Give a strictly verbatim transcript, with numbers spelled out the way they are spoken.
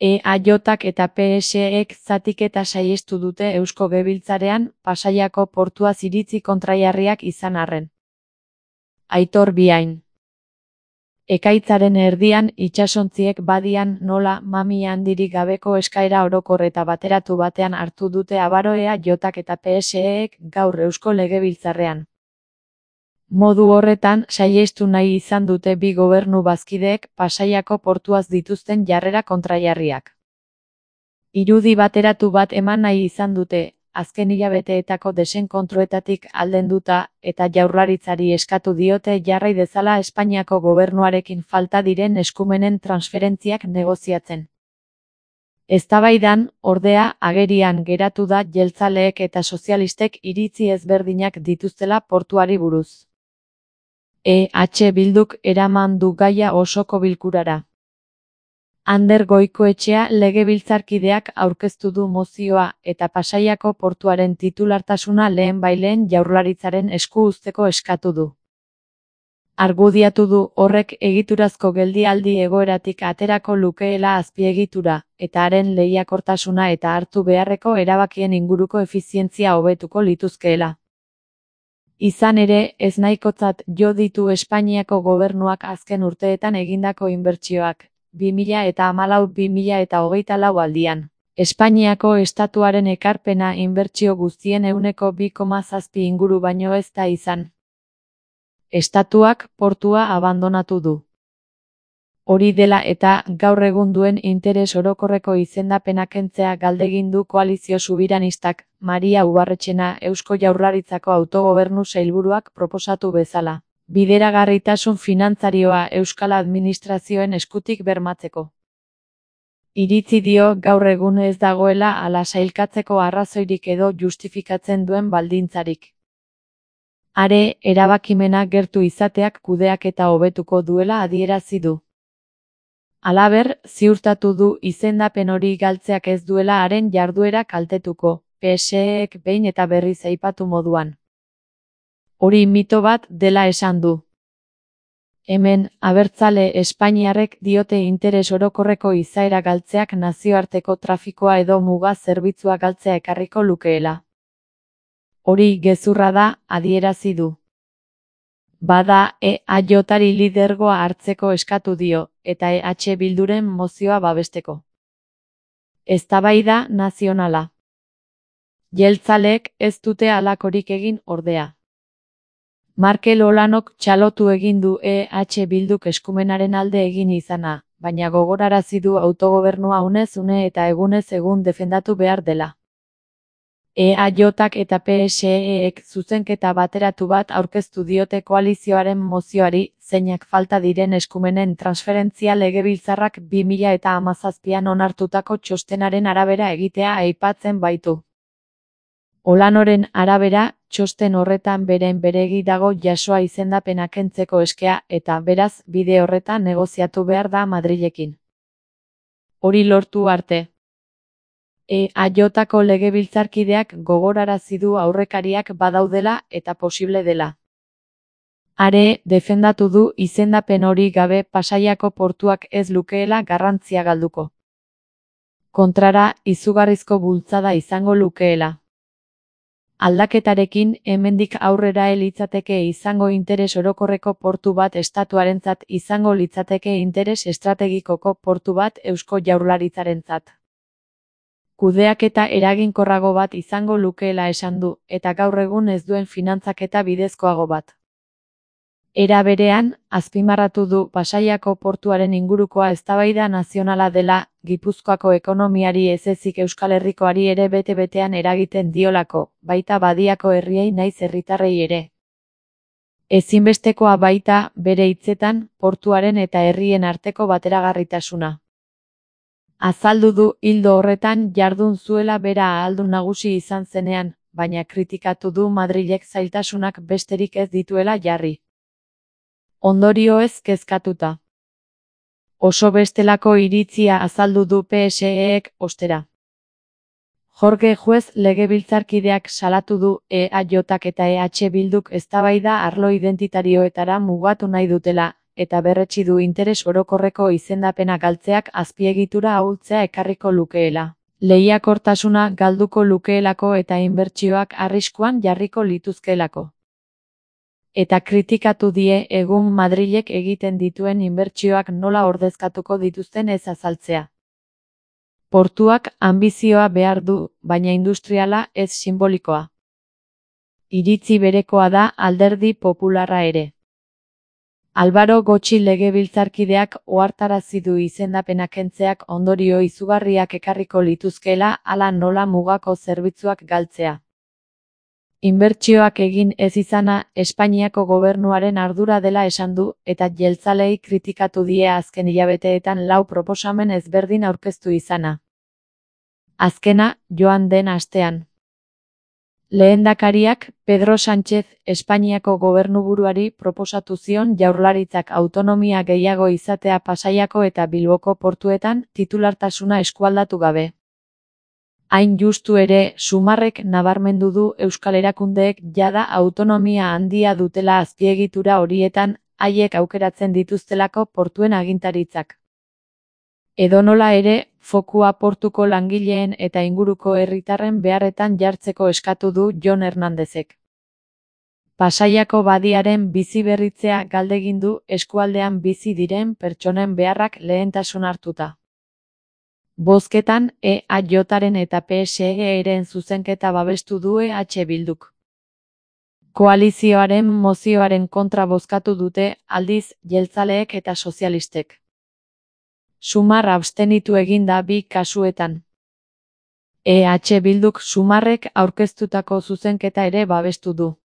E A J-ak eta P S E-ek zatiketa saihestu dute Eusko Legebiltzarrean Pasaiako portuaz iritzi kontrajarriak izan arren. Aitor Biain. Ekaitzaren erdian itsasontziek badian nola mami handirik gabeko eskaera orokor eta bateratu batean hartu dute abaro E A J-ak eta P S E-ek gaur Eusko Legebiltzarrean. Modu horretan saihestu nahi izan dute bi gobernu bazkideek Pasaiako portuaz dituzten jarrera kontrajarriak. Irudi bateratu bat eman nahi izan dute, azken hilabeteetako desenkontroetatik aldenduta, eta Jaurlaritzari eskatu diote jarrai dezala Espainiako gobernuarekin falta diren eskumenen transferentziak negoziatzen. Eztabaidan, ordea, agerian geratu da jeltzaleek eta sozialistek iritzi ezberdinak dituztela portuari buruz. E H Bilduk eraman du gaia osoko bilkurara. Ander Goikoetxea legebiltzarkideak aurkeztu du mozioa eta Pasaiako portuaren titulartasuna lehenbailehen Jaurlaritzaren esku uzteko eskatu du. Argudiatu du horrek egiturazko geldialdi egoeratik aterako lukeela azpiegitura, eta haren lehiakortasuna eta hartu beharreko erabakien inguruko efizientzia hobetuko lituzkeela. Izan ere, ez nahikotzat jo ditu Espainiako gobernuak azken urteetan egindako inbertsioak, bi mila eta hamalau bi mila eta hogeita lau aldian. Espainiako estatuaren ekarpena inbertsio guztien ehuneko bi koma zazpi inguru baino ez da izan. Estatuak portua abandonatu du. Hori dela eta gaur egun duen interes orokorreko izendapena kentzea galdegin du koalizio subiranistak, Maria Ubarretxena Eusko Jaurlaritzako autogobernu sailburuak proposatu bezala. Bideragarritasun finantzarioa euskal administrazioen eskutik bermatzeko. Iritzi dio gaur egun ez dagoela hala sailkatzeko arrazoirik edo justifikatzen duen baldintzarik. Are, erabakimena gertu izateak kudeaketa hobetuko duela adierazi du. Halaber, ziurtatu du izendapen hori galtzeak ez duela haren jarduera kaltetuko, P S E-ek behin eta berriz aipatu moduan. Hori mito bat dela esan du. Hemen, abertzale espainiarrek diote interes orokorreko izaera galtzeak nazioarteko trafikoa edo muga zerbitzua galtzea ekarriko lukeela. Hori gezurra da, adierazi du. Bada, E A J-ari lidergoa hartzeko eskatu dio, eta E H Bilduren mozioa babesteko. Eztabaida nazionala. Jeltzaleek ez dute halakorik egin ordea. Markel Olanok txalotu egin du E H Bilduk eskumenaren alde egin izana, baina gogorarazi du autogobernua unez une eta egunez egun defendatu behar dela. E A J-ak eta P S E-ek zuzenketa bateratu bat aurkeztu diote koalizioaren mozioari, zeinak falta diren eskumenen transferentzia legebiltzarrak bi mila eta hamazazpian onartutako txostenaren arabera egitea aipatzen baitu. Olanoren arabera, txosten horretan beren beregi dago jasoa izendapena kentzeko eskea eta beraz bide horretan negoziatu behar da Madrilekin. Hori lortu arte. E A J-ako legebiltzarkideak gogorarazi du aurrekariak badaudela eta posible dela. Are, defendatu du izendapen hori gabe Pasaiako portuak ez lukeela garrantzia galduko. Kontrara, izugarrizko bultzada izango lukeela. Aldaketarekin, hemendik aurrera litzateke izango interes orokorreko portu bat estatuarentzat izango litzateke interes estrategikoko portu bat Eusko Jaurlaritzarentzat. Kudeaketa eraginkorrago bat izango lukeela esan du, eta gaur egun ez duen finantzaketa bidezkoago bat. Era berean, azpimarratu du Pasaiako portuaren ingurukoa eztabaida nazionala dela, Gipuzkoako ekonomiari ez ezik Euskal Herrikoari ere bete-betean eragiten diolako, baita badiako herriei naiz herritarrei ere. Ezinbestekoa baita, bere hitzetan, portuaren eta herrien arteko bateragarritasuna. Azaldu du ildo horretan jardun zuela bera ahaldun nagusi izan zenean, baina kritikatu du Madrilek zailtasunak besterik ez dituela jarri. Ondorioez kezkatuta. Oso bestelako iritzia azaldu du P S E-ek, ostera. Jorge Juez legebiltzarkideak salatu du E A J-ak eta E H Bilduk eztabaida arlo identitarioetara mugatu nahi dutela, eta berretsi du interes orokorreko izendapena galtzeak azpiegitura ahultzea ekarriko lukeela. Lehiakortasuna galduko lukeelako eta inbertsioak arriskuan jarriko lituzkeelako. Eta kritikatu die egun Madrilek egiten dituen inbertsioak nola ordezkatuko dituzten ez azaltzea. Portuak anbizioa behar du, baina industriala ez sinbolikoa. Iritzi berekoa da Alderdi Popularra ere. Álvaro Gotxi legebiltzarkideak ohartarazi du izendapena kentzeak ondorio izugarriak ekarriko lituzkeela hala nola mugako zerbitzuak galtzea. Inbertsioak egin ez izana Espainiako gobernuaren ardura dela esan du eta jeltzaleei kritikatu die azken hilabeteetan lau proposamen ezberdin aurkeztu izana. Azkena, joan den astean. Lehendakariak, Pedro Sánchez, Espainiako gobernuburuari proposatu zion Jaurlaritzak autonomia gehiago izatea Pasaiako eta Bilboko portuetan titulartasuna eskualdatu gabe. Hain justu ere, Sumarrek nabarmendu du euskal erakundeek jada autonomia handia dutela azpiegitura horietan, haiek aukeratzen dituztelako portuen agintaritzak. Edonola ere, fokua portuko langileen eta inguruko herritarren beharretan jartzeko eskatu du Jon Hernandezek. Pasaiako badiaren biziberritzea galdegin du eskualdean bizi diren pertsonen beharrak lehentasun hartuta. Bozketan, E A Jren eta P S E-ren zuzenketa babestu du E H Bilduk. Koalizioaren mozioaren kontra bozkatu dute, aldiz, jeltzaleek eta sozialistek. Sumar abstenitu egin da bi kasuetan. E H Bilduk Sumarrek aurkeztutako zuzenketa ere babestu du.